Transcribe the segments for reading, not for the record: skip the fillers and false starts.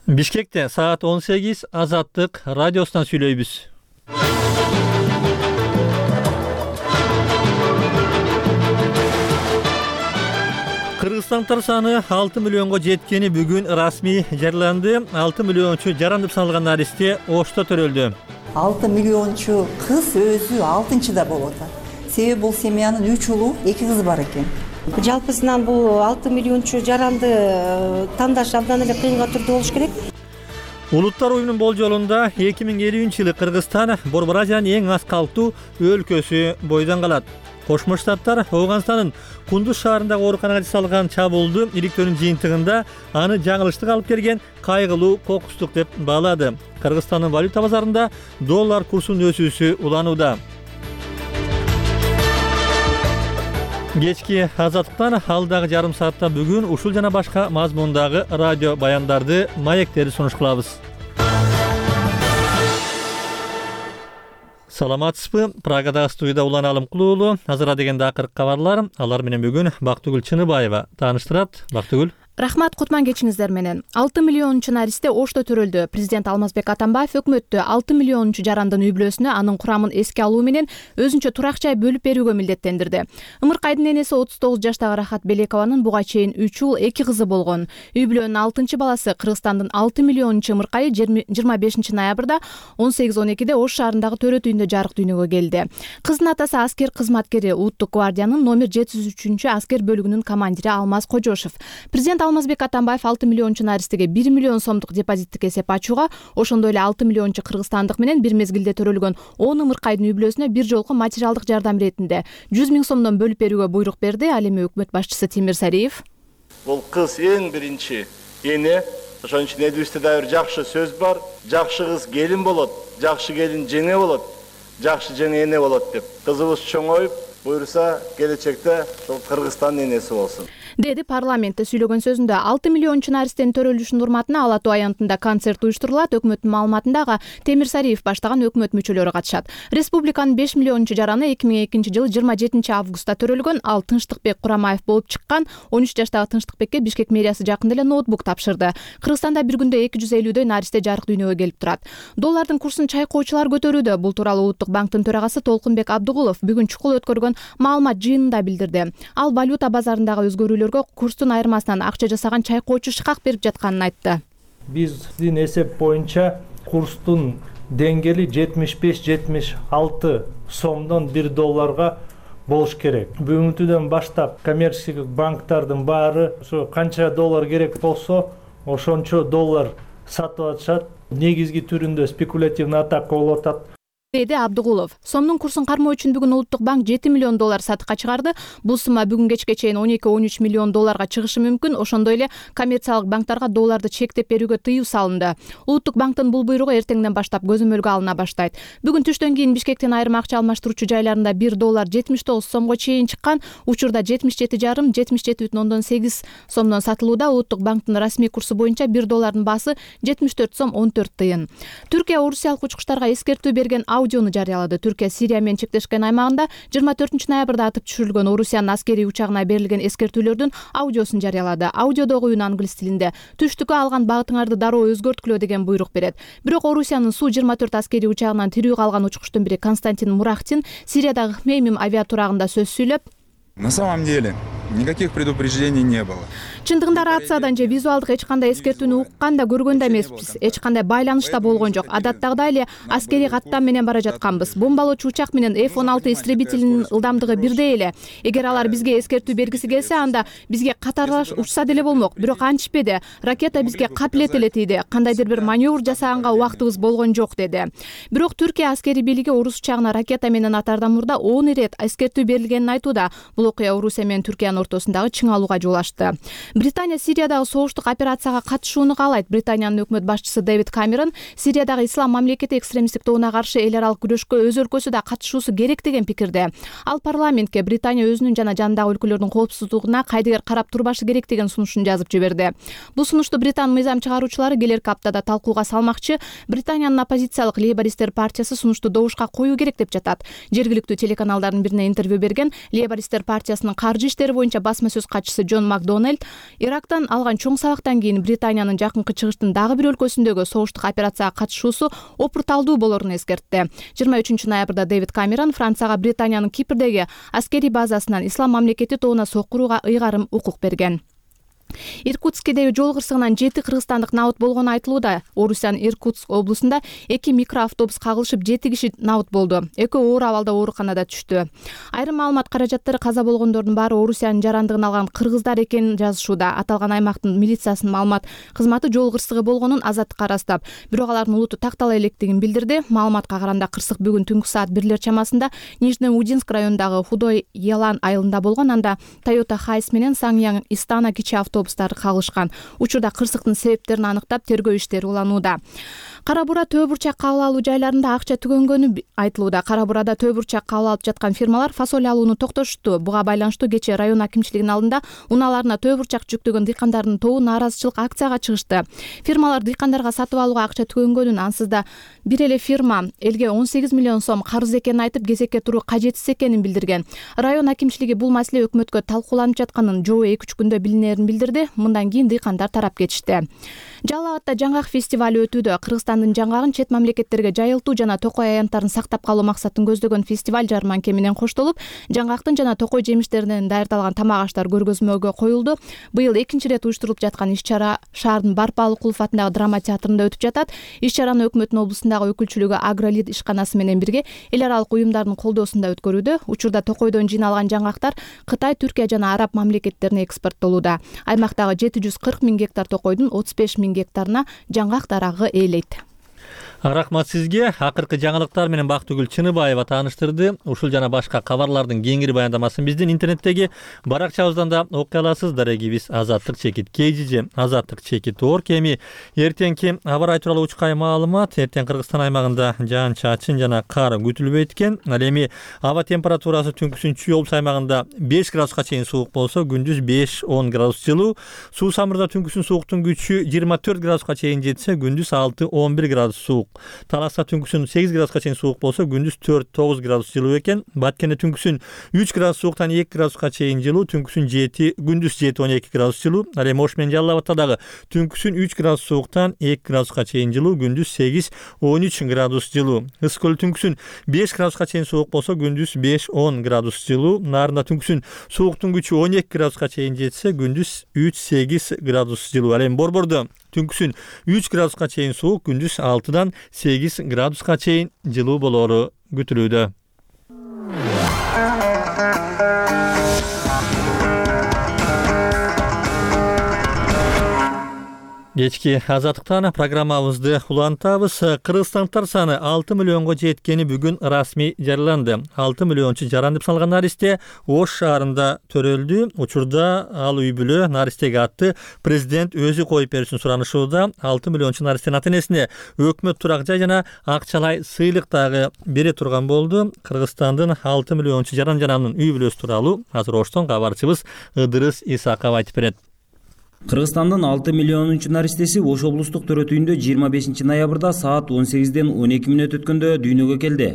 Бишкекте саат 18 Азаттык радиосунан сүйлөйбүз. Кыргызстандыктар саны 6 миллионго жеткени бүгүн расмий жарыяланды. 6 миллиончу жаран деп саналган наристе Ошто төрөлдү. 6 миллиончу кыз өзү 6-да болот. Себеби бул семьянын 3 улу, 2 кызы бар экен. Жалпысынан бул 6 миллиончу жаранды тандаш абдан эле кыйынга түрдө болуш керек. Улуттар уюмунун болжолунда 2050-жылы Кыргызстан Борбор Азиянын эң аз калктуу өлкөсү бойдон калат. Кошмо Штаттар Афганстандын Кундуз шаарындагы ооруканага жасалган чабуулду иликтөөнүн жыйынтыгында аны жаңылыштык алып келген кайгылуу кокустук деп баалады. Кыргызстандын валюта базарында доллар курсунун өсүүсү уланууда. Кечки Азаттыктан алдагы жарым саатта бүгүн ушул жана башка мазмундагы радио баяндарды, маектерди сунуш кылабыз. Саламатсызбы? Прагадагы студияда Улан Алымкулуулу. Азыр дегенде акыркы кабарлар. Алар менен бүгүн Бактыгүл Чыныбаева тааныштырат. Бактыгүл. Рахмат, кутман кечиңиздер менен. 6 миллиончу наристе Ошто төрөлдү. Президент Алмазбек Атамбаев өкмөттө 6 миллиончу жарандын үй бүлөсүнө анын курамын эске алуу менен өзүнчө турак жай бөлүп берүүгө милдеттендирди. Ымыркайдын энеси 39 жаштагы Рахат Белекованын буга чейин 3 уул 2 кызы болгон. Үй бүлөнүн 6-баласы Кыргызстандын 6 миллиончу ымыркайы 25 ноябрда 18:12 Ош шаарындагы төрөт үйүндө жарык дүйнөгө келди. Кыздын атасы аскер кызматкери, Улуттук гвардиянын номер 703 аскер бөлүгүнүн командири Алмаз Кожошов. Президент Алмазбек Атамбаев 6 миллиончу наристеге 1 миллион сомдук депозиттик эсеп ачууга, ошондой эле 6 миллиончу кыргызстандык менен бир мезгилде төрөлгөн 10 ымыркайдын үй бүлөсүнө бир жолку материалдык жардам иретинде 100 000 сомдон бөлүп берүүгө буйрук берди. Ал эми өкмөт башчысы Тимир Сариев. Бул кыз эң биринчи эне, ошон үчүн элибизде да бир жакшы сөз бар. Жакшы кыз келин болот, жакшы келин жеңе болот, жакшы жеңе эне болот деп. Кызыбыз чоңоюп, буйруса келечекте ошол Кыргызстандын энеси болсун, деди парламентте сүйлөгөн сөзүндө. 6 миллиончу наристенин төрөлүшүнүн урматына Ала Тоо аянтында концерт уюштурулат. Өкмөттүн маалыматында Темир Сариев баштаган өкмөт мүчөлөрү катышат. Республиканын 5 миллиончу жараны 2002-жылы 27 августта төрөлгөн. Ал Тынчтыкбек Курамаев болуп чыккан. 13 жаштагы Тынчтыкбекке Бишкек мэриясы жакында эле ноутбук тапшырды. Кыргызстанда бир күндө 250 наристе жарык дүйнөгө келип турат. Доллардын курсун чайкоочулар көтөрүүдө. Бул тууралуу Улуттук банктын төрагасы Толкунбек Абдыгулов бүгүн чукул өткөргөн маалымат жыйынында билдирди. Ал валюта базарындагы өзгөрүүлөргө курстун айырмасынан акча жасаган чайкоочу шыкак берип жатканын айтты. Биздин эсеп боюнча курстун деңгээли 75-76 сомдон 1 долларга болуш керек. Бүгүнкүдөн баштап коммерческих банктардын баары ошо канча доллар керек болсо, ошончо доллар сатып атышат. Негизги түрүндө спекулятивный атака болуп атат, деди Абдыгулов. Сомдун курсун кармоо үчүн бүгүн Улуттук банк 7 миллион доллар сатыкка чыгарды. Бул сумма бүгүн кечке чейин 12-13 миллион долларга чыгышы мүмкүн. Ошондой эле коммерциялык банктарга долларды чектеп берүүгө тыюу салынды. Улуттук банктын бул буйругу эртеңден баштап көзөмөлгө алына баштайт. Бүгүн түштөн кийин Бишкектин айрым акча алмаштыруучу жайларында 1 доллар 79 сомго чейин чыккан. Учурда 77,5-77,8 сомдон сатылууда. Улуттук банктын расмий курсу боюнча 1 доллардын баасы 74 сом 14 тыйын. Түркия орусиялык учкучтарга эскертүү берген аудиону жарыялады. Түркия Сирия менен чектешкен аймагында 24 ноябрда атып түшүрүлгөн Орусиянын аскерий учагына берилген эскертүүлөрдүн аудиосун жарыялады. Аудиодогу үн англис тилинде. Түштүккө алган багытыңарды дароо өзгөрткүлө деген буйрук берет. Бирок Орусиянын Су-24 аскерий учагынан тирүү калган учкучтун бири Константин Мурахтин Сириядагы Хмеймим авиатурагында сөз сүйлөп, на самом деле никаких предупреждений не было. Чындыгында рациядан же визуалдык эч кандай эскертүүнү уккан да көргөн да эмеспиз. Эч кандай байланыш да болгон жок. Адаттагыдай эле аскерий каттам менен бара жатканбыз. Бомбалоочу учак менен F-16 истребителинин ылдамдыгы бирдей эле. Эгер алар бизге эскертүү бергиси келсе, анда бизге катарлаш учса деле болмок. Бирок антишпеди. Ракета бизге капилет эле тийди. Кандайдыр бир маневр жасаганга убактыбыз болгон жок, деди. Бирок Түркия аскерий бийлиги орус учагына ракета менен атаардан мурда 10 ирет эскертүү берилгенин айтууда. Бул окуя Орусия менен Түркиянын ортосундагы чыңалууга жол ачты. Британия Сириядагы согуштук операцияга катышууну каалайт. Британиянын өкмөт башчысы Дэвид Камерон Сириядагы ислам мамлекети экстремисттик тобуна каршы эл аралык күрөшкө өз өлкөсү да катышуусу керек деген пикирде. Ал парламентке Британия өзүнүн жана жандагы өлкөлөрдүн коопсуздугуна кайдыгер карап турбашы керек деген сунушун жазып жиберди. Бул сунушту Британ мыйзам чыгаруучулары келерки аптада талкууга салмакчы. Британиянын оппозициялык Лейбористтер партиясы сунушту добушка коюу керек деп жатат. Жергиликтүү телеканалдардын бирине интервью берген Лейбористтер партиясынын каржы иштери боюнча боюнча басма сөз катчысы Джон Макдональд Ирактан алган чоң сабактан кийин Британиянын жакынкы чыгыштын дагы бир өлкөсүндөгү согуштук операцияга катышуусу опурталдуу болорун эскертти. 23 ноябрда Дэвид Камерон Францияга Британиянын Кипрдеги аскерий базасынан Ислам мамлекети тобуна сокуруга ыйгарым укук берген. Иркутскдеги жол кырсыгынан 7 кыргызстандык набыт болгону айтылууда. Орусиянын Иркутск облусунда 2 микроавтобус кагылышып 7 киши набыт болду. Экөө оор абалда ооруканада түштү. Айрым маалымат каражаттары каза болгондордун баары Орусиянын жарандыгын алган кыргыздар экенин жазышууда. Аталган аймактын милициясынын маалымат кызматы жол кырсыгы болгонун азаттыкка ырастап, бирок алардын улуту тактала электигин билдирди. Маалыматка караганда кырсык бүгүн түнкү саат 1 чамасында Нижнеудинск районундагы Худой Ялан айылында болгон. Анда Toyota Хайс менен Саңяң Истана кичи автобустары кагылышкан. Учурда кырсыктын себептерин аныктап тергөө иштери уланууда. Кара Бура Төө бурчак кабыл алуу жайларында акча түгөнгөнү айтылууда. Кара Бурада Төө бурчак кабыл алып жаткан фирмалар фасоль алууну токтошту. Буга байланыштуу кечээ район акимчилигинин алдында унааларына Төө бурчак жүктөгөн дыйкандардын тобу нааразычылык акцияга чыгышты. Фирмалар дыйкандарга сатып алууга акча түгөнгөнүн, ансыз да бир эле фирма элге 18 миллион сом карыз экенин айтып, кезекке туруу кажетсиз экенин билдирген. Район акимчилиги бул маселе өкмөткө талкууланып жатканын, жобо 2-3 күндө билинерин билдирди. Мындан кийин дыйкандар тарап кетишти. Жалал Абадта жаңгак фестивали өтүүдө. Кыргызстандын жаңгагын чет мамлекеттерге жайылтуу жана токой аянттарын сактап калуу максатын көздөгөн фестиваль жарманке менен коштолуп, жаңгактын жана токой жемиштеринен даярдалган тамак аштар көргөзмөгө коюлду. Быйыл 2-нчи ирет уюштурулуп жаткан иш-чара шаардын Барпалыкулов атындагы драма театрында өтүп жатат. Иш-чараны өкмөттүн облустундагы өкүлчүлүгү Агролит ишканасы менен бирге эл аралык уюмдардын колдоосунда өткөрүүдө. Учурда токойдон жыйналган жаңгактар Кытай, Түркия жана Араб мамлекеттерине экспорттолууда. Аймактагы 740 000 гектар токойдун 35 000 гектарына жаңгак дарагы ээлейт. Рахмат сизге. Акыркы жаңылыктар менен Бактыгүл Чыныбаева тааныштырды. Ушул жана башка кабарлардын кеңири баяндамасын биздин интернеттеги баракчабыздан да окуй аласыз. Дарегибиз azatlyk-kgj azatlyk-org. Эми эртеңки аба ырайы тууралуу учкай маалымат. Эртең Кыргызстан аймагында жаан-чачын жана кар күтүлбөйт экен. Ал эми аба температурасы түнкүсүн Чүй облус аймагында 5 градуска чейин суук болсо, күндүз 5-10 градус жылуу. Суу самырда түнкүсүн сууктун күчү 24 градуска чейин жетсе, күндүз 6-11 градус суук. Таласта түнкүсүн 8 градуска чейин суук болсо, күндүз 4-9 градус жылуу экен. Баткенде түнкүсүн 3 градус сууктан 2 градуска чейин жылуу, күндүз 7-12 градус жылуу. Ал эми Ош менен Жалал Абадта дагы түнкүсүн 3 градус сууктан 2 градуска чейин жылуу, күндүз 8-13 градус жылуу. Ысык көл түнкүсүн 5 градуска чейин суук болсо, күндүз 5-10 градус жылуу. Нарында түнкүсүн сууктун күчү 12 градуска чейин жетсе, күндүз 3-8 градус жылуу. Ал эми Борбордо түнкүсүн 3 градуска чейин суук, күндүз 6-8 градуска чейин жылуу болору күтүлүүдө. Кечки азаттыктан программабызды улантабыз. Кыргызстандыктар саны 6 миллионго жеткени бүгүн расмий жарыяланды. 6 миллиончу жаран деп саналган наристе Ош шаарында төрөлдү. Учурда ал үй бүлө наристеге атты президент өзү коюп беришин суранышууда. 6 миллиончу наристенин ата-энесине өкмөт турак жай жана акчалай сыйлык дагы бере турган болду. Кыргызстандын 6 миллиончу жаран-жананын үй бүлөсү тууралуу азыр Оштон кабарчыбыз Ыдырыс Исаков айтып берет. Кыргызстандын 6 миллионунчу наристеси Ош облустук төрөтүйүндө 25 ноябрда саат 18-ден 12 мүнөт өткөндө дүйнөгө келди.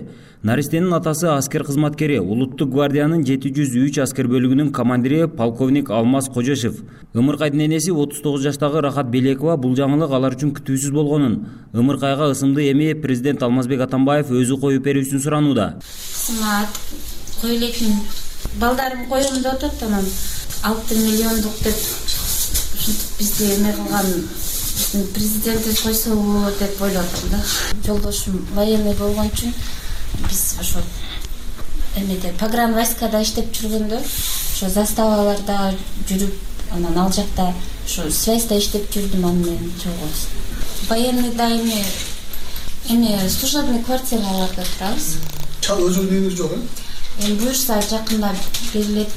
Наристенин атасы аскер кызматкери, Улуттук гвардиянын 703 аскер бөлүгүнүн командири полковник Алмаз Кожошев. Ымыркайдын энеси 39 жаштагы Рахат Белекова бул жаңылык алар үчүн күтүүсүз болгонун, ымыркайга ысымды эми президент Алмазбек Атамбаев өзү коюп берүүсүн суранууда. Койлейтин балдарым коем деп атат, анан 6 миллиондук деп бизди эме кылган президент койсобу деп ойлоп атам да. Жолдошум военный болгон үчүн биз ошо эмеде погран войскада иштеп жүргөндө, ошо заставаларда жүрүп, анан ал жакта ошо связьда иштеп жүрдүм, аны менен чогулуп. Военный дайыми эме служебный квартираларда турабыз. Өзүңүздүн үйүңүз жок, буюрса жакында берилет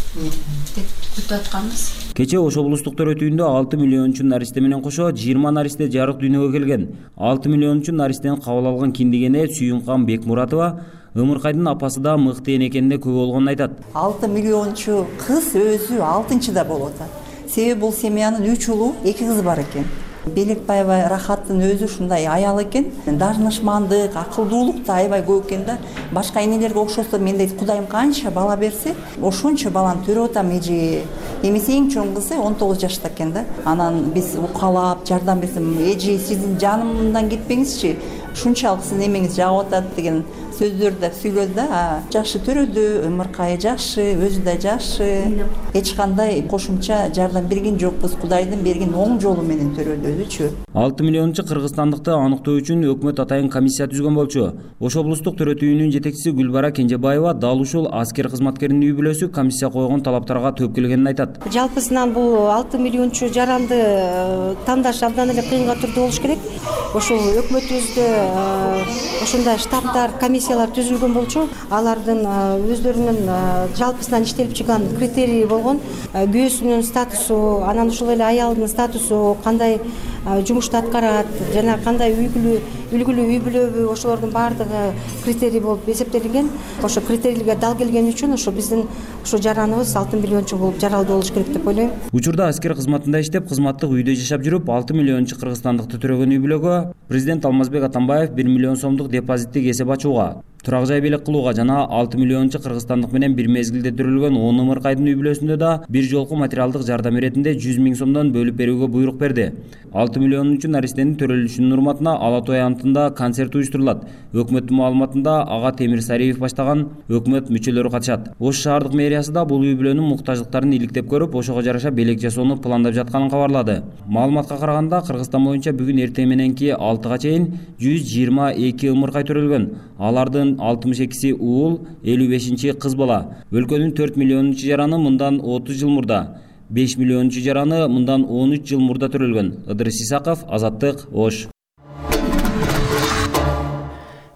деп күтүп атканбыз. Кече Ош облустук төрөтүйүндө 6 миллиончу наристе менен кошо 20 наристе жарык дүйнөгө келген. 6 миллиончу наристени кабыл алган киндигене Сүйүнкан Бекмуратова ымыркайдын апасы да мыкты эне экенине күбө болгонун айтат. 6 миллиончу кыз өзү 6-да болуп атат. Себеби бул семьянын 3 улу, 2 кызы бар экен. Белекбаева Рахаттын өзү ушундай аял экен. Дарынышмандык, акылдуулук да аябай көп экен да. Башка энелерге окшосо мен дейт Кудайым канча бала берсе, ошончо баланы төрөп атам эже. Эмесе эң чоң кызы 19 жашта экен да. Анан биз укалап, жардам берсем, эже сиздин жанымдан кетпеңизчи. Ушунчалык сиздин эмеңиз жагып атат деген сөздөрдү да сүйлөдү да. Жакшы төрөдү, ымыркайы жакшы, өзү да жакшы. Эч кандай кошумча жардам берген жокпуз. Кудайдын берген оң жолу менен төрөдү өзүчү. 6 миллиончу кыргызстандыкты аныктоо үчүн өкмөт атайын комиссия түзгөн болчу. Ош облустук төрөт үйүнүн жетекчиси Гүлбара Кенжебаева дал ушул аскер кызматкеринин үй бүлөсү комиссия койгон талаптарга жооп келгенин айтат. Жалпысынан бул 6 миллиончу жаранды тандаш абдан эле кыйынга турду болуш керек. Ошол өкмөтүбүздө ошондой штабдар, комиссиялар түзүлгөн болчу. Алардын өздөрүнүн жалпысынан иштелип чыккан критерии болгон. Күйөөсүнүн статусу, анан ошол эле аялдын статусу, кандай жумушту аткарат, жана кандай үлгүлүү үй бүлөбү, ошолордун баардыгы критерий болуп эсептелинген. Ошо критерийге дал келген үчүн ошо биздин ошо жараныбыз 6 миллиончу болуп жаралдуу болуш керек деп ойлойм. Учурда аскер кызматында иштеп, кызматтык үйдө жашап жүрүп, 6 миллиончу кыргызстандыкты төрөгөн үй бүлөгө президент Алмазбек Атамбаев 1 миллион сомдук депозиттик эсеп ачууга, турак жай белек кылууга жана 6 миллиончу кыргызстандык менен бир мезгилде төрөлгөн 10 ымыркайдын үй бүлөсүндө да бир жолку материалдык жардам иретинде 100 000 сомдон бөлүп берүүгө буйрук берди. 6 миллионунчу наристенин төрөлүшүнүн урматына Ала той антында концерт уюштурулат. Өкмөттүн маалыматында ага Темир Сариев баштаган өкмөт мүчөлөрү катышат. Ош шаардык мэриясы да бул үй бүлөнүн муктаждыктарын иликтеп көрүп, ошого жараша белек жасоону пландап жатканын кабарлады. Маалыматка караганда, Кыргызстан боюнча бүгүн эртең мененки 6га чейин 122 ымыркай төрөлгөн. Алардын 62си уул, 55-чи кыз бала. Өлкөнүн 4 миллионунчу жараны мындан 30 жыл мурда, 5 миллионунчу жараны мындан 13 жыл мурда төрөлгөн. Ыдырыс Исаков, Азаттык, Ош.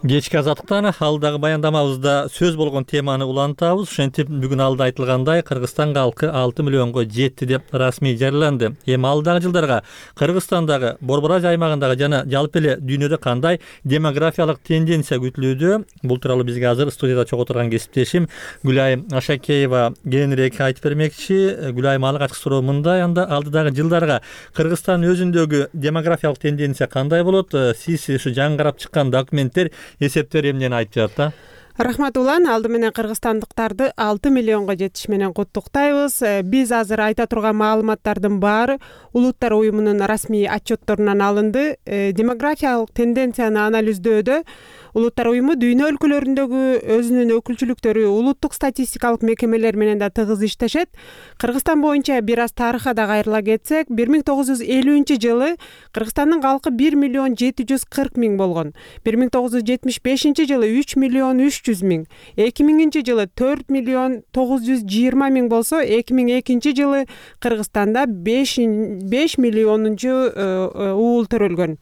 Кечки азаттыктан алдагы баяндамабызда сөз болгон теманы улантабыз. Ошентип бүгүн алда айтылгандай Кыргызстан калкы 6 миллионго жетти деп расмий жарыяланды. Эми алдагы жылдарга Кыргызстандагы Борбораж аймагындагы жана жалпы эле дүйнөдө кандай демографиялык тенденция күтүлүүдө? Бул тууралуу бизге азыр студияда чогуу турган кесиптешим Гүлайым Ашакеева кененирээк айтып бермекчи. Гүлайым, алгачкы суроо мындай: анда алдыдагы жылдарга Кыргызстан өзүндөгү демографиялык тенденция кандай болот? Сиз ушу жаңы карап чыккан документтер, эсептер эмнени айтып жатат да? Рахмат улан, алды менен кыргызстандыктарды 6 миллионго жетиш менен куттуктайбыз. Биз азыр айта турган маалыматтардын баары Улуттар уюмунун расмий отчетторунан алынды. Демографиялык тенденцияны анализдөөдө Улуттар уюму дүйнө өлкөлөрүндөгү өзүнүн өкүлчүлүктөрү улуттук статистикалык мекемелер менен да тыгыз иштешет. Кыргызстан боюнча бир аз тарыхка да кайрыла кетсек, 1950-жылы Кыргызстандын калкы 1 миллион 740 миң болгон. 1975-жылы 3 миллион 300 миң, 2000-жылы 4 миллион 920 миң болсо, 2002-жылы Кыргызстанда 5 миллионунчу уул төрөлгөн.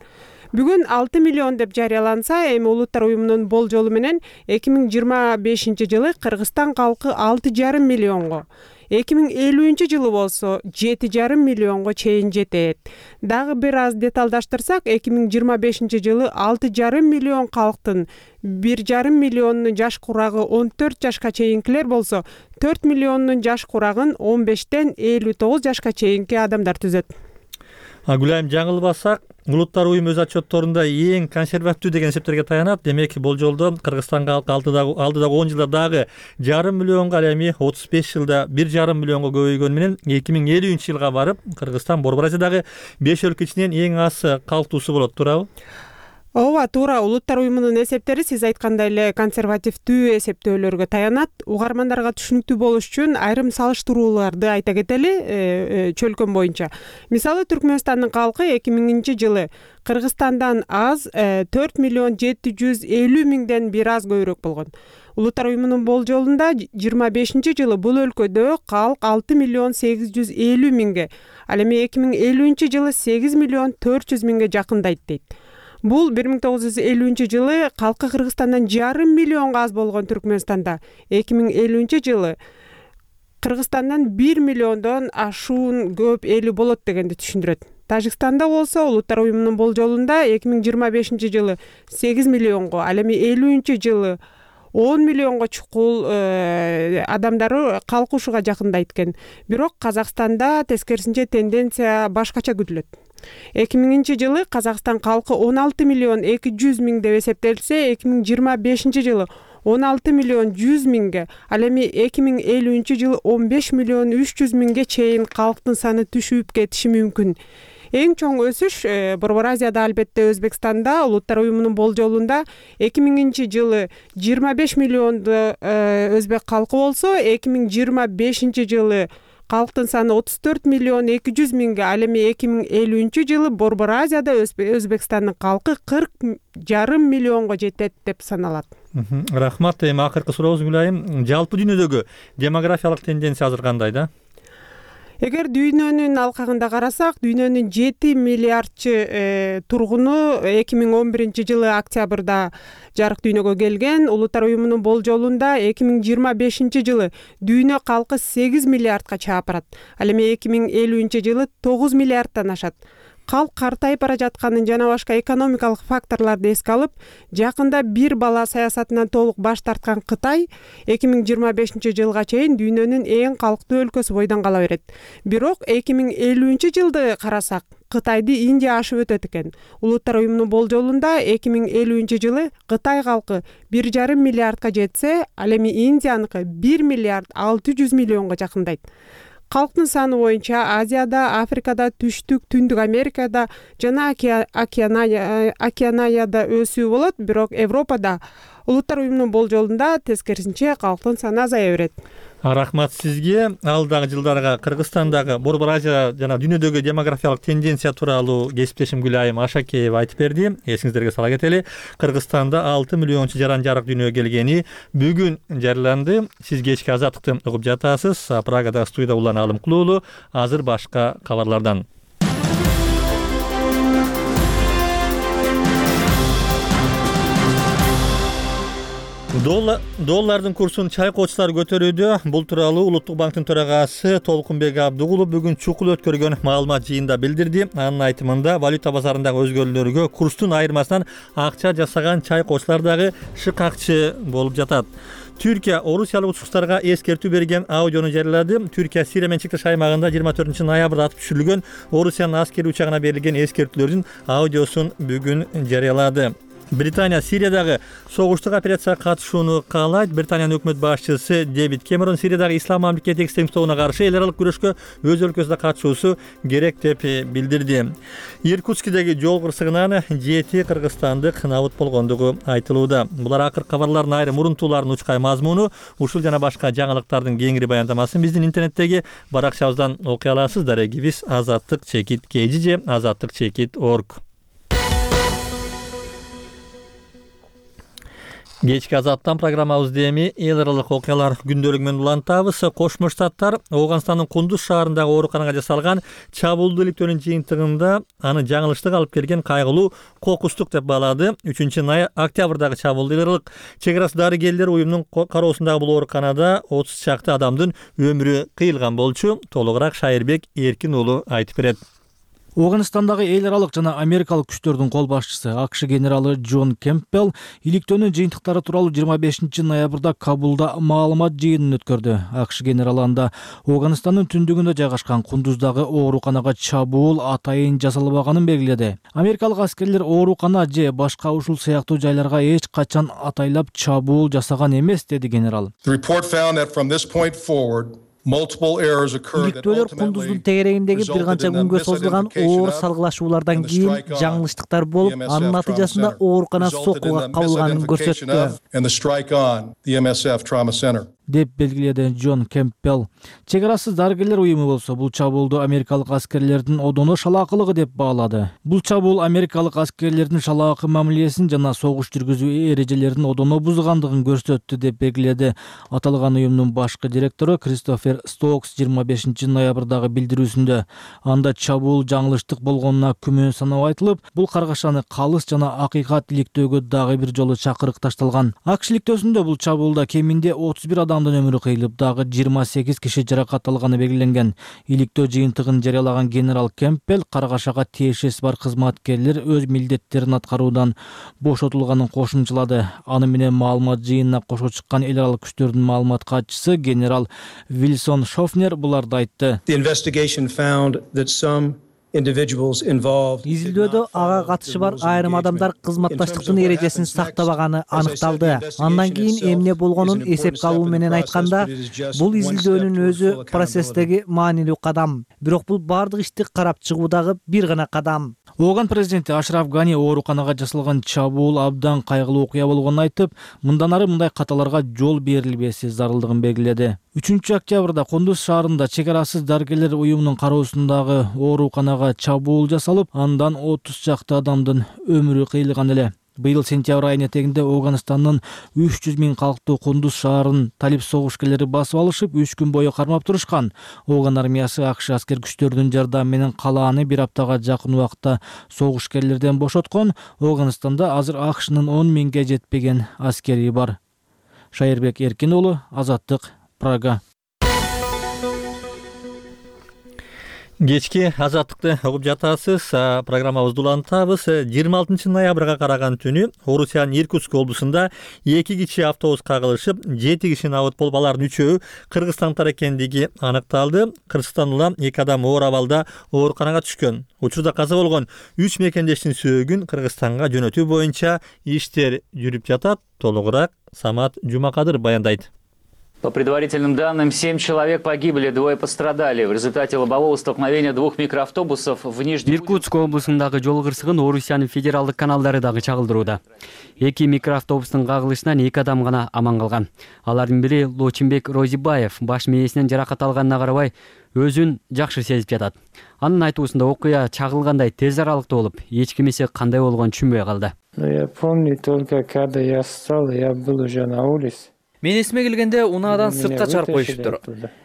Бүгүн 6 миллион деп жарыяланса, эми Улуттар уюмунун болжолу менен 2025-жылы Кыргызстан калкы 6,5 миллионго, 2050-жылы болсо 7,5 миллионго чейин жетет. Дагы бир аз деталдаштырсак, 2025-жылы 6,5 миллион калктын 1,5 миллионунун жаш курагы 14 жашка чейинкилер болсо, 4 миллионунун жаш курагын 15-тен 59 жашка чейинки адамдар түзөт. Гүлайым, жаңылбасак, Улуттар уюму өз отчетторунда эң консервативдүү деген эсептерге таянат. Демек, болжолдо Кыргызстан калкы алдыдагы 10 жылда дагы 1,5 миллионго, ал эми 35 жылда 1,5 миллионго көбөйгөнү менен 2050-жылга барып, Кыргызстан Борбораждагы 5 өлкө ичинен эң аз калктуусу болот, туурабы? Ооба, туура. Улуттар уюмунун эсептери сиз айткандай эле консервативдүү эсептөөлөргө таянат. Угармандарга түшүнүктүү болуш үчүн айрым салыштырууларды айта кетели чөлкөн боюнча. Мисалы, Түркмөнстандын калкы 2000-жылы Кыргызстандан аз 4 миллион 750 миңден бир аз көбүрөөк болгон. Улуттар уюмунун болжолунда 25-жылы бул өлкөдө калк 6 миллион 850 миңге, ал эми 2050-жылы 8 миллион 400 миңге жакындайт дейт. Бул 1950-жылы калкы Кыргызстандан 1,5 миллионго аз болгон Түркмөнстанда 2050-жылы Кыргызстандан 1 миллиондон ашуун көп эли болот дегенди түшүндүрөт. Тажикстанда болсо Улуттар уюмунун болжолунда 2025-жылы 8 миллионго, ал эми 50-жылы 10 миллионго чукул адамдары калкушуга жакындайт экен. Бирок Казакстанда тескерисинче тенденция башкача күтүлөт. 2000-жылы Казакстан калкы 16 миллион 200 миң деп эсептелсе, 2025 жылы 16 миллион 100 миңге, ал эми 2050-жылы 15 миллион 300 миңге чейин калктын саны түшүп кетиши мүмкүн. Эң чоң өсүш Борбор Азияда, албетте Өзбекстанда. Улуттар уюмунун болжолунда 2000-жылы 25 миллионду өзбек калкы болсо, 2025 жылы калктын саны 34 миллион 200 миңге, ал эми 2050-жылы Борбор Азияда Өзбекстандын калкы 40,5 миллионго жетет деп саналат. Рахмат. Эми акыркы сурообузду Гүлайым, жалпы дүйнөдөгү демографиялык тенденция азыр кандай да? Эгер дүйнөнүн алкагында карасак, дүйнөнүн 7 миллиардчы тургуну 2011-жылы октябрда жарык дүйнөгө келген. Улуттар уюмунун болжолунда 2025-жылы дүйнө калкы 8 миллиардка чаап барат. Ал эми 2050-жылы 9 миллиардтан ашат. Калк картайып бара жатканын жана башка экономикалык факторлорду эске алып, жакында бир бала саясатынан толук баш тарткан Кытай 2025-жылга чейин дүйнөнүн эң калктуу өлкөсү бойдон кала берет. Бирок 2050-жылды карасак, Кытайды Индия ашып өтөт экен. Улуттар уюмунун болжолунда 2050-жылы Кытай калкы 1,5 миллиардка жетсе, ал эми Индияныкы 1 миллиард 600 миллионго жакындайт. Калктын саны боюнча Азияда, Африкада, Түштүк, Түндүк Америкада жана Океанияда өсүү болот, бирок Европада улуттар уюмунун болжолунда тескерисинче калктын саны азая берет. Рахмат сизге. Алдагы жылдарга Кыргызстандагы, Борбор Азия жана дүйнөдөгү демографиялык тенденция тууралуу кесиптешим Гүлайым Ашакеева айтып берди. Эсиңиздерге сала кетели, Кыргызстанда 6 миллиончу жаран жарык дүйнөгө келгени бүгүн жарыяланды. Сиз кечки Азаттыкты угуп жатасыз. Прагада студияда Улан Алымкулуу уулу. Азыр башка кабарлардан. Доллардын курсун чайкоочулар көтөрүүдө. Бул тууралуу Улуттук банктын төрагасы Толкунбек Абдыгулов бүгүн чукул өткөргөн маалымат жыйында билдирди. Анын айтымында, валюта базарындагы өзгөрүүлөргө курстун айырмасынан акча жасаган чайкоочулар дагы шыкакчы болуп жатат. Түркия орусиялык учкучтарга эскертүү берген аудиону жарыялады. Түркия Сирия менен чектеш аймагында 24 ноябрда атып түшүрүлгөн Орусиянын аскери учагына берилген эскертүүлөрдүн аудиосун бүгүн жарыялады. Британия Сириядагы согуштук операцияга катышууну каалайт. Британиянын өкмөт башчысы Дэвид Кэмерон Сириядагы ислам мамлекети экстремисттерине каршы эл аралык күрөшкө өз өлкөсүндө катышуусу керек деп билдирди. Иркутскидеги жол кырсыгынан 7 кыргызстандык набыт болгондугу айтылууда. Булар акыркы кабарлардын айрым урунтууларын учкай мазмуну. Ушул жана башка жаңылыктардын кеңири баяндамасын биздин интернеттеги баракчабыздан окуй аласыз. Дарегибиз azatlyk-kg же azatlyk.org. Кечки Азаттан программабызды эми эл аралык окуялар күндөлүгү менен улантабыз. Кошмо Штаттар Ооганстандын Кундуз шаарындагы ооруканага жасалган чабуулду иликтөөнүн жыйынтыгында аны жаңылыштык алып келген кайгылуу кокустук деп баалады. 3-октябрдагы чабуулду эл аралык чек арасы дарыгерлер уюмунун кароосундагы бул ооруканада 30 чакты адамдын өмүрү кыйылган болчу. Толугураак Шайырбек Эркин уулу айтып берет. Ооганстандагы эл аралык жана америкалык күчтөрдүн кол башчысы АКШ генералы Джон Кемпбелл иликтөөнүн жыйынтыктары тууралуу 25 ноябрда Кабулда маалымат жыйынын өткөрдү. АКШ генералы анда Ооганстандын түндүгүндө жайгашкан Кундуздагы ооруканага чабуул атайын жасалбаганын белгиледи. Америкалык аскерлер оорукана же башка ушул сыяктуу жайларга эч качан атайлап чабуул жасаган эмес, деди генерал. Иликтөөлөр Кундуздун тегерегиндеги бир канча күнгө созулган оор салгылашуулардан кийин жаңылыштыктар болуп, анын натыйжасында оорукана соккуга кабылганын көрсөттү, деп белгиледи Джон Кемпбелл. Чек арасыз дарыгерлер уюму болсо бул чабуулду америкалык аскерлердин одоно шалаакылыгы деп баалады. Бул чабуул америкалык аскерлердин шалаакы мамилесин жана согуш жүргүзүү эрежелерин одоно бузгандыгын көрсөттү, деп белгиледи аталган уюмдун башкы директору Кристофер Стокс 25 ноябрдагы билдирүүсүндө. Анда чабуул жаңылыштык болгонуна күмөн саноо айтылып, бул каргашаны калыс жана акыйкат иликтөөгө дагы бир жолу чакырык ташталган. АКШ иликтөөсүндө бул чабуулда кеминде 31 адамдын өмүрү кыйылып, дагы 28 киши жаракат алганы белгиленген. Иликтөө жыйынтыгын жарыялаган генерал Кемпбелл каргашага тиешеси бар кызматкерлер өз милдеттерин аткаруудан бошотулганын кошумчалады. Аны менен маалымат жыйынына кошо чыккан эл аралык күчтөрдүн маалымат катчысы генерал Вилсон Шофнер буларды айтты. Изилдөөдө ага катышы бар айрым адамдар кызматташтыктын эрежесин сактабаганы аныкталды. Андан кийин эмне болгонун эсепке алуу менен айтканда, бул изилдөөнүн өзү процесстеги маанилүү кадам. Бирок бул бардык ишти карап чыгуудагы бир гана кадам. Ооган президенти Ашраф Гани ооруканага жасалган чабуул абдан кайгылуу окуя болгонун айтып, мындан ары мындай каталарга жол берилбеси зарылдыгын белгиледи. 3 октябрда Кундуз шаарында чек арасыз дарыгерлер уюмунун кароосундагы ооруканага чабуул жасалып, андан 30 чакты адамдын өмүрү кыйылган эле. Быйыл сентябрь айынын этегинде Ооганстандын 300 000 калктуу Кундуз шаарын талип согушкерлери басып алышып, 3 күн бою кармап турушкан. Ооган армиясы АКШ аскер күчтөрүнүн жардамы менен калааны бир аптага жакын убакытта согушкерлерден бошоткон. Ооганстанда азыр АКШнын 10 000ге жетпеген аскери бар. Шайырбек Эркин уулу, Азаттык, Прага. Кечки Азаттыкты угуп жатасыз. Программабызды улантабыз. 26 ноябрга караган түнү Орусиянын Иркутск облусунда 2 кичи автобус кагылышып, 7 кишинин абыт болуп, алардын 3-өө кыргызстандыктар экендиги аныкталды. Кыргызстанда 2 адам оор абалда ооруканага түшкөн. Учурда каза болгон 3 мекендештин сөөгүн Кыргызстанга жөнөтүү боюнча иштер жүрүп жатат. Толугураак Самат Жумакадыр баяндайт. По предварительным данным, 7 человек погибли, 2 пострадали. В результате лобового столкновения 2 микроавтобусов в Нижнем... Иркутск облусундагы жол кырсыгын Орусиянын федералдык каналдары дагы чагылдырууда. 2 микроавтобустун кагылышынан 2 адам гана аман калган. Алардын бири Лочинбек Розибаев баш мээсинен жаракат алганына карабай өзүн жакшы сезип жатат. Анын айтуусунда окуя чагылгандай тез аралыкта болуп, эч кимиси кандай болгонун түшүнбөй калды. Я помню только когда я встал, я был уже на улице. Мен эсиме келгенде унаадан сыртка чыгарып коюшуптур.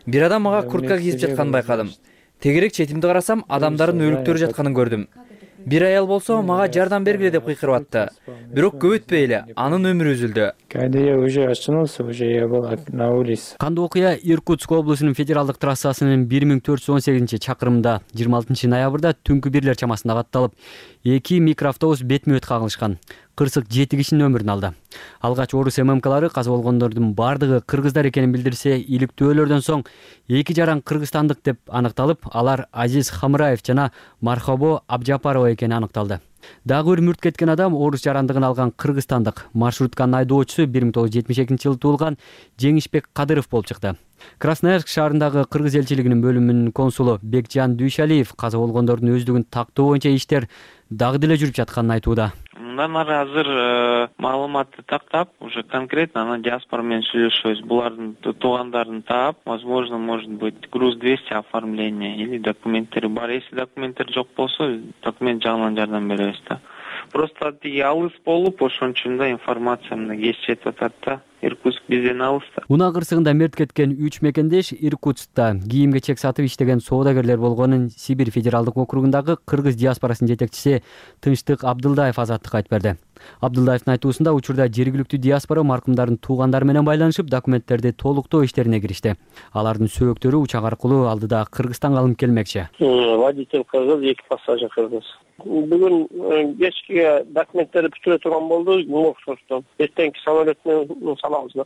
Бир адам мага куртка кийип жатканын байкадым. Тегерек четимди карасам, адамдардын өлүктөрү жатканын көрдүм. Бир аял болсо мага жардам бергиле деп кыйкырып атты. Бирок көп өтпөй эле анын өмүрү үзүлдү. Когда я уже очнулся, уже я был на улице. Кандуу окуя Иркутск облусунун федералдык трассасынын 1418-чакырымында 26 ноябрда түнкү бирлер чамасында катталып, 2 микроавтобус бетме-бет кагылышкан. Кырсык 7 кишинин өмүрүн алды. Алгач Орус ММКлары каза болгондордун бардыгы кыргыздар экенин билдирсе, иликтөөлөрдөн соң 2 жаран кыргызстандык деп аныкталып, алар Азиз Хамраев жана Мархабо Абжапарова экени аныкталды. Дагы бир мүрт кеткен адам орус жарандыгын алган кыргызстандык маршрутканын айдоочусу 1972-жылы туулган Жеңишбек Кадыров болуп чыкты. Красноярск шаарындагы кыргыз элчилигинин бөлүмүнүн консулу Бекжан Дүйшалиев каза болгондордун өздүгүн тактоо боюнча иштер дагы деле жүрүп жатканын айтууда. Мындан ары азыр маалыматты тактап, уже конкретно ана диаспора менен сүйлөшөбүз. Булардын туугандарын таап, возможно, может быть, груз 200 оформление или документтери бар. Если документтер жок болсо, документ жагынан жардам беребиз да. Просто тиги алыс болуп, ошон үчүн да информация мына кеч жетип атат да. Иркутск бизден алыста. Унаа кырсыгында мерт кеткен 3 мекендеш Иркутскта кийим-кечек сатып иштеген соодагерлер болгонун Сибирь федералдык округундагы кыргыз диаспорасынын жетекчиси Тынчтык Абдылдаев Азаттыкка айтып берди. Абдылдаевдин айтуусунда учурда жергиликтүү диаспора маркумдардын туугандары менен байланышып, документтерди толуктоо иштерине киришти. Алардын сөөктөрү учак аркылуу алдыда Кыргызстанга алынып келмекчи. Водитель кыргыз, 2 пассажир кыргыз. Бүгүн кечке документтерди бүтүрө турган болду, моксостон. Эртеңки самолет менен салабыз да.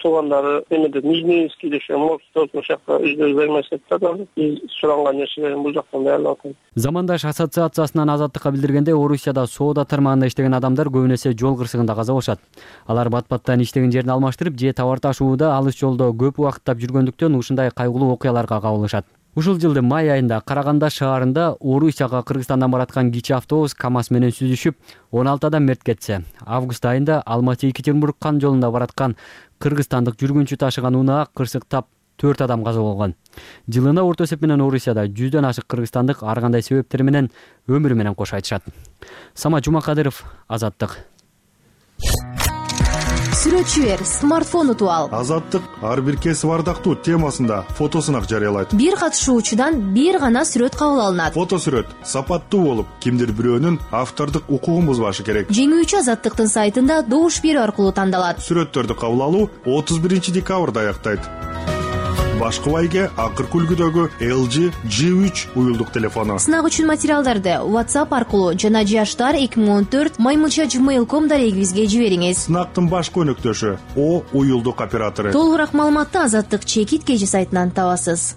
Туугандары эмеде Нижнийский дешем, моксостон жакка өздөрү бермесет да. Биз суранган нерселерин бул жактан даярдап атат. Замандаш ассоциациясынан Азаттыкка билдиргенде, Орусияда соода тармагында иштеген адамдар көбүн эсе жол кырсыгында каза болушат. Алар бат-баттан иштеген жерин алмаштырып, же товар ташууда алыс жолдо көп убакыттап жүргөндүктөн ушундай кайгылуу окуяларга кабылышат. Ушул жылдын май айында Караганда шаарында Орусияга Кыргызстандан бараткан кичи автобус КАМАЗ менен сүзүшүп, 16 адам мерт кетсе, август айында Алматы-Екатеринбург кан жолунда бараткан кыргызстандык жүргүнчү ташыган унаа кырсыктап 4 адам каза болгон. Жылына орто эсеп менен Орусияда 100дөн ашык кыргызстандык ар кандай себептер менен өмүрү менен кош айтышат. Самат Жумакадыров, Азаттык. Сүрөтчү бер, смартфон утуп ал. Азаттык ар бир кесип ардактуу темасында фотосунак жарыялайт. Бир катышуучудан бир гана сүрөт кабыл алынат. Фотосүрөт сапаттуу болуп, кимдир бирөөнүн автордук укугун бузбашы керек. Жеңүүчү Азаттыктын сайтында добуш берүү аркылуу тандалат. Сүрөттөрдү кабыл алуу 31-декабрда аяктайт. Башкы байге акыркы үлгүдөгү LG G3 уюлдук телефону. Сынак үчүн материалдарды WhatsApp аркылуу жана jashtar2014@gmail.com дарегибизге жибериңиз. Сынактын башкы өнөктөшү О уюлдук оператору. Толугураак маалыматты Азаттык чекит кежи сайтынан табасыз.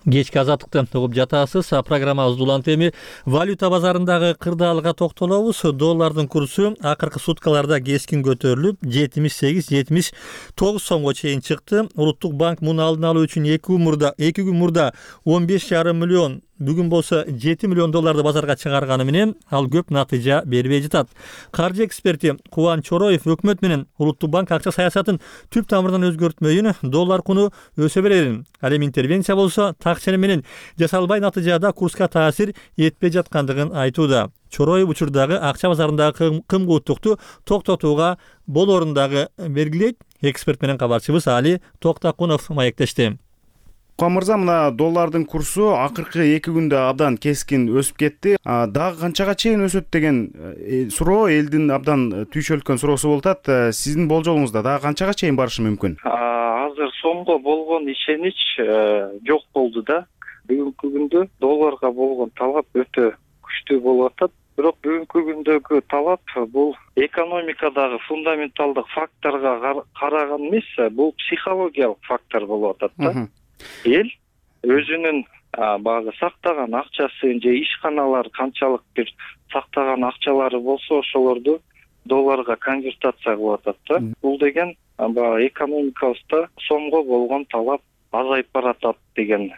Кечки азаттыкты угуп жатасыз. Программабыз улант. Эми валюта базарындагы кырдаалга токтолобуз. Доллардын курсу акыркы суткаларда кескин көтөрүлүп 78-79 сомго чейин чыкты. Улуттук банк муну алдын алуу үчүн 2 күн мурда 15,5 миллион, бүгүн болсо 7 миллион долларды базарга чыгарганы менен ал көп натыйжа бербей жатат. Каржы эксперти Кубан Чороев өкмөт менен улуттук банк акча саясатын түп тамырдан өзгөртмөйүн, доллар куну өсө берерин, ал эми интервенция болсо так ченем менен жасалбай натыйжада курска таасир этпей жаткандыгын айтууда. Чороев учурдагы акча базарындагы кымкууттукту токтотууга болоорун дагы белгилейт. Эксперт менен кабарчыбыз Али Токтакунов маектешти. Кубан мырза, мына доллардын курсу акыркы 2 күндө абдан кескин өсүп кетти. Дагы канчага чейин өсөт деген суроо элдин абдан түйшөлткөн суроосу болуп атат. Сиздин болжолуңузда дагы канчага чейин барышы мүмкүн? Азыр сомго болгон ишенич жок болду да. Бүгүнкү күндө долларга болгон талап өтө күчтүү болуп атат. Бирок бүгүнкү күндөгү талап бул экономикадагы фундаменталдык факторго караган эмес, бул психологиялык фактор болуп атат да. Эл өзүнүн баягы сактаган акчасын же ишканалар канчалык бир сактаган акчалары болсо ошолорду долларга конвертация кылып атат да. Бул деген баягы экономикабызда сомго болгон талап азайып баратат деген.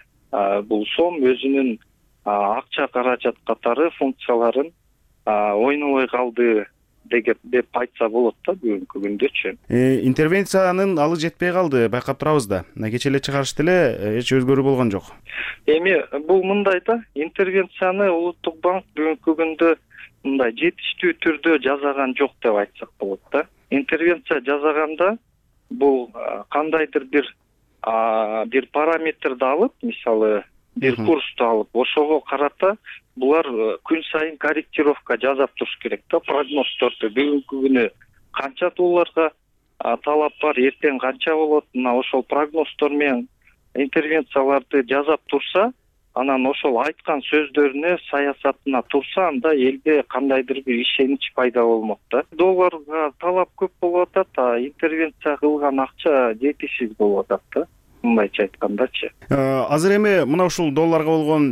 Бул сом өзүнүн акча каражат катары функцияларын ойнобой калды деп айтса болот да бүгүнкү күндөчү. Интервенциянын алы жетпей калды, байкап турабыз да. Кече эле чыгарышты эле, эч өзгөрүү болгон жок. Эми бул мындай да, интервенцияны улуттук банк бүгүнкү күндө мындай жетиштүү түрдө жасаган жок деп айтсак болот да. Интервенция жасаганда бул кандайдыр бир параметрди алып, мисалы бир курсту алып, ошого карата булар күн сайын корректировка жасап туруш керек да, прогноздорду. Бүгүнкү күнү канча долларга талап бар, эртең канча болот, мына ошол прогноздор менен интервенцияларды жасап турса, анан ошол айткан сөздөрүнө, саясатына турса, анда элде кандайдыр бир ишенич пайда болмок да. Долларга талап көп болуп атат, интервенция кылган акча жетишсиз болуп атат да. Мындайча айткандачы. Азыр эми мына ушул долларга болгон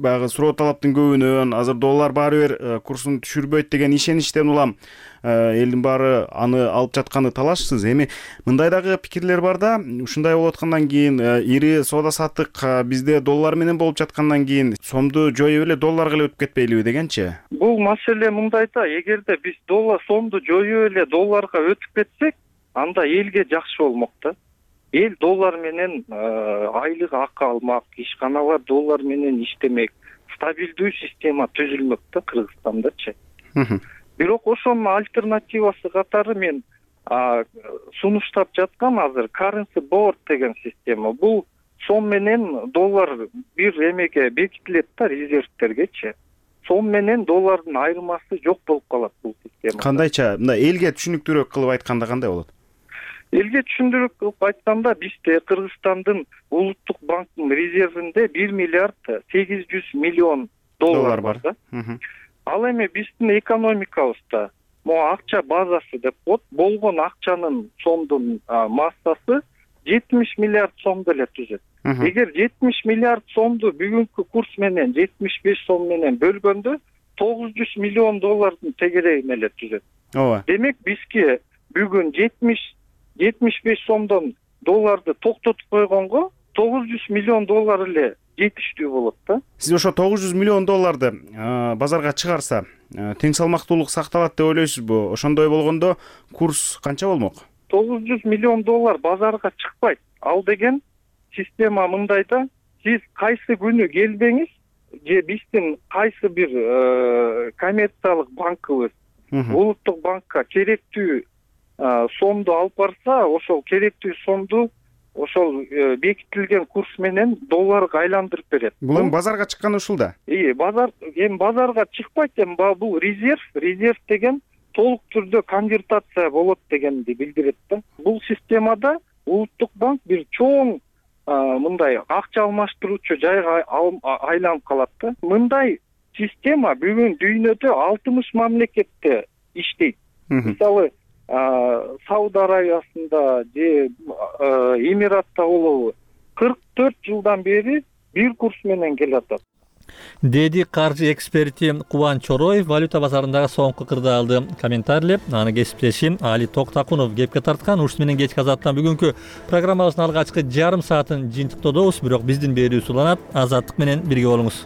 баягы суроо талаптын көбүнөн азыр доллар баары бир курсун түшүрбөйт деген ишеничтен улам элдин баары аны алып жатканы талашсыз. Эми мындай дагы пикирлер бар да, ушундай болуп аткандан кийин ири соода саттык бизде доллар менен болуп жаткандан кийин сомду жоюп эле долларга эле өтүп кетпейлиби дегенчи? Бул маселе мындай да, эгерде биз сомду жоюп эле долларга өтүп кетсек, анда элге жакшы болмок да. Эл доллар менен айлык акы алмак, ишканалар доллар менен иштемек, стабилдүү система түзүлмөк да Кыргызстандачы. Бирок ошонун альтернативасы катары мен сунуштап жаткан азыр currency board деген система. Бул сом менен доллар бир эмеге бекитилет да, резервтергечи. Сом менен доллардын айырмасы жок болуп калат бул система. Кандайча? Мындай элге түшүнүктүүрөөк кылып айтканда кандай болот? Элге түшүндүрүп кылып айтканда, бизде Кыргызстандын улуттук банктын резервинде 1 миллиард 800 миллион доллар бар да. Ал эми биздин экономикабызда могу акча базасы деп коет, болгон акчанын сомдун массасы 70 миллиард сомду эле түзөт. Эгер 70 миллиард сомду бүгүнкү курс менен 75 сом менен бөлгөндө 900 миллион доллардын тегерегин эле түзөт. Ооба. Демек бизге бүгүн 75 сомдон долларды токтотуп койгонго 900 миллион доллар эле жетиштүү болот да. Сиз ошо 900 миллион долларды базарга чыгарса, тең салмактуулук сакталат деп ойлойсузбу? Ошондой болгондо курс канча болмок? 900 миллион доллар базарга чыкпайт. Ал деген система мындай да, сиз кайсы күнү келбеңиз, же биздин кайсы бир коммерциялык банкыбыз улуттук банкка керектүү сомду алып барса, ошол керектүү сомду ошол бекитилген курс менен долларга айландырып берет. Бул эми базарга чыкканы ушул да. Базарга чыкпайт, бул резерв деген толук түрдө конвертация болот дегенди билдирет да. Бул системада улуттук банк бир чоң мындай акча алмаштыруучу жайга айланып калат да. Мындай система бүгүн дүйнөдө 60 мамлекетте иштейт. Мисалы Сауд Арабиясында же Эмиратта болобу 44 жылдан бери бир курс менен келатат, деди каржы эксперти Кубан Чороев валюта базарындагы соңку кырдаалды комментарийлеп. Аны кесиптешим Али Токтакунов кепке тарткан. Ушун менен кечки азаттан бүгүнкү программабыздын алгачкы жарым саатын жыйынтыктоодобуз, бирок биздин берүүбүз уланат. Азаттык менен бирге болуңуз.